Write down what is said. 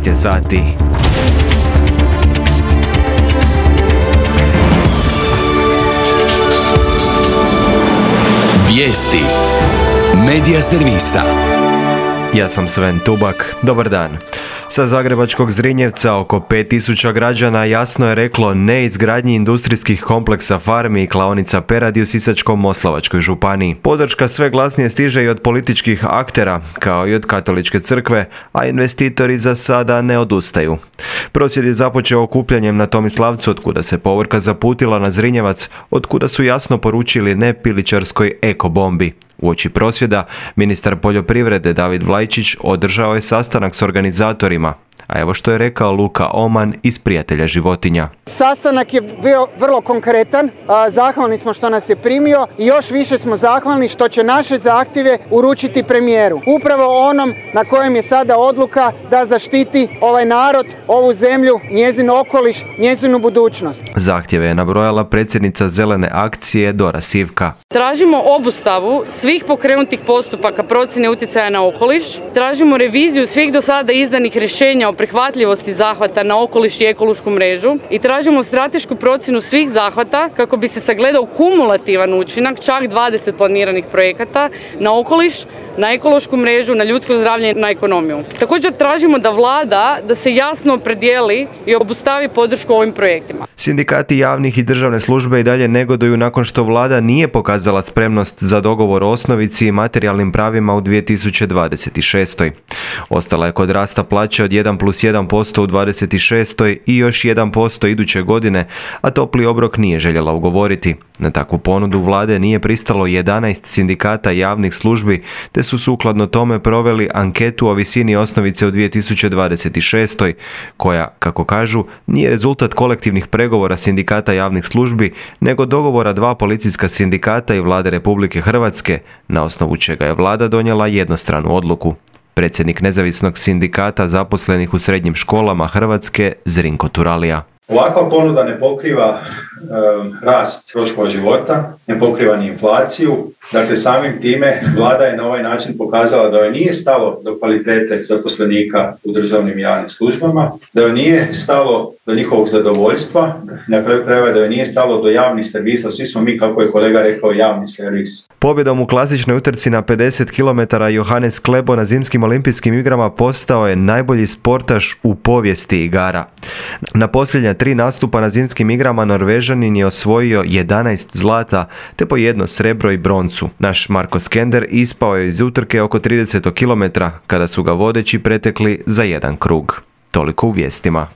13 je sati. Vijesti Medija servisa. Ja sam Sven Tubak. Dobar dan. Sa zagrebačkog Zrinjevca oko 5000 građana jasno je reklo ne izgradnji industrijskih kompleksa farmi i klaonica peradi u Sisačko-moslavačkoj županiji. Podrška sve glasnije stiže i od političkih aktera, kao i od katoličke crkve, a investitori za sada ne odustaju. Prosvjed je započeo okupljanjem na Tomislavcu, otkuda se povorka zaputila na Zrinjevac, otkuda su jasno poručili ne pilićarskoj ekobombi. Uoči prosvjeda, ministar poljoprivrede David Vlajčić održao je sastanak s organizatorima. A evo što je rekao Luka Oman iz Prijatelja životinja. Sastanak je bio vrlo konkretan, zahvalni smo što nas je primio i još više smo zahvalni što će naše zahtjeve uručiti premijeru. Upravo onom na kojem je sada odluka da zaštiti ovaj narod, ovu zemlju, njezin okoliš, njezinu budućnost. Zahtjeve je nabrojala predsjednica Zelene akcije Dora Sivka. Tražimo obustavu svih pokrenutih postupaka procjene utjecaja na okoliš, tražimo reviziju svih do sada izdanih rješenja o prihvatljivosti zahvata na okoliš i ekološku mrežu i tražimo stratešku procjenu svih zahvata kako bi se sagledao kumulativan učinak čak 20 planiranih projekata na okoliš, na ekološku mrežu, na ljudsko zdravlje, na ekonomiju. Također tražimo da vlada da se jasno opredijeli i obustavi podršku ovim projektima. Sindikati javnih i državne službe i dalje negoduju nakon što vlada nije pokazala spremnost za dogovor o osnovici i materijalnim pravima u 2026. Ostala je kod rasta plaće od 1+1% u 26. i još 1% iduće godine, a topli obrok nije željela ugovoriti. Na takvu ponudu vlade nije pristalo 11 sindikata javnih službi, te su sukladno tome proveli anketu o visini osnovice u 2026. koja, kako kažu, nije rezultat kolektivnih pregovora sindikata javnih službi, nego dogovora dva policijska sindikata i vlade Republike Hrvatske, na osnovu čega je vlada donijela jednostranu odluku. Predsjednik nezavisnog sindikata zaposlenih u srednjim školama Hrvatske, Zrinko Turalija. Ovakva ponuda ne pokriva rast troškova života, ne pokriva ni inflaciju. Dakle, samim time vlada je na ovaj način pokazala da joj nije stalo do kvalitete zaposlenika u državnim i javnim službama, da joj nije stalo do njihovog zadovoljstva, na kraju krajeva da joj nije stalo do javnih servisa. Svi smo mi, kako je kolega rekao, javni servis. Pobjedom u klasičnoj utrci na 50 km Johannes Klebo na zimskim olimpijskim igrama postao je najbolji sportaš u povijesti igara. Na posljednja 3 nastupa na zimskim igrama Norvežanin je osvojio 11 zlata te po 1 srebro i broncu. Naš Marko Skender ispao je iz utrke oko 30 km kada su ga vodeći pretekli za 1 krug. Toliko u vijestima.